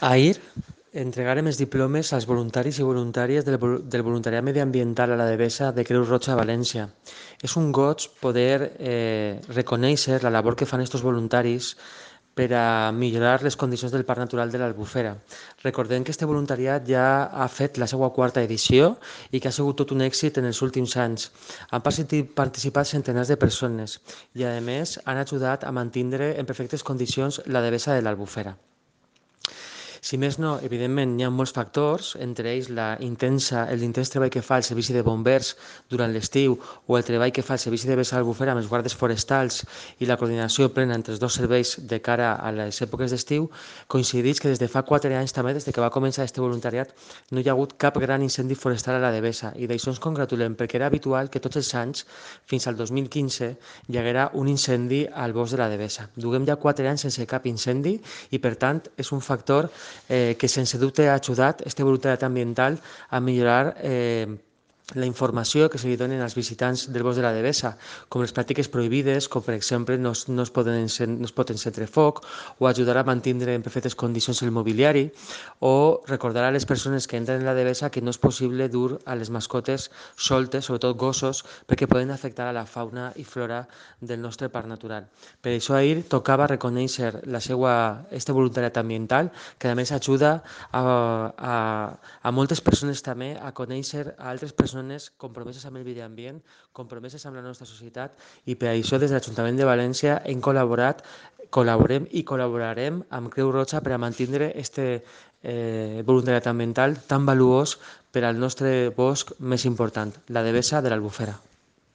Ahir entregarem els diplomes als voluntaris i voluntàries del voluntariat mediambiental a la Devesa de Creu Roja a València. És un goig poder reconèixer la labor que fan aquests voluntaris per a millorar les condicions del Parc Natural de l'Albufera. Recordem que aquest voluntariat ja ha fet la seva quarta edició i que ha sigut tot un èxit en els últims anys. Han participat centenars de persones i, a més, han ajudat a mantenir en perfectes condicions la Devesa de l'Albufera. Si més no, evidentment, hi ha molts factors, entre ells l'intens treball que fa el Servici de Bombers durant l'estiu o el treball que fa el Servici de Vessar Albufera amb els guardes forestals i la coordinació plena entre els dos serveis de cara a les èpoques d'estiu, coincideix que des de fa 4 anys també, des que va començar aquest voluntariat, no hi ha hagut cap gran incendi forestal a la Devesa i d'això ens congratulem perquè era habitual que tots els anys, fins al 2015, hi haguera un incendi al bosc de la Devesa. Duguem ja 4 anys sense cap incendi i, per tant, és un factor que sense dubte ha ajudat este voluntariat ambiental a millorar la informació que se li donen als visitants del bosc de la Devesa, com les pràctiques prohibides, com per exemple no es pot encendre foc, o ajudar a mantenir en perfectes condicions el mobiliari, o recordar a les persones que entren a la Devesa que no és possible dur a les mascotes soltes, sobretot gossos, perquè poden afectar a la fauna i flora del nostre parc natural. Per això ahir tocava reconèixer este voluntariat ambiental, que a més ajuda a moltes persones també a conèixer a altres persones compromeses amb el medi ambient, compromeses amb la nostra societat, i per això des de l'Ajuntament de València hem col·laborem i col·laborarem amb Creu Roja per a mantenir este voluntariat ambiental tan valuós per al nostre bosc més important, la Devesa de l'Albufera.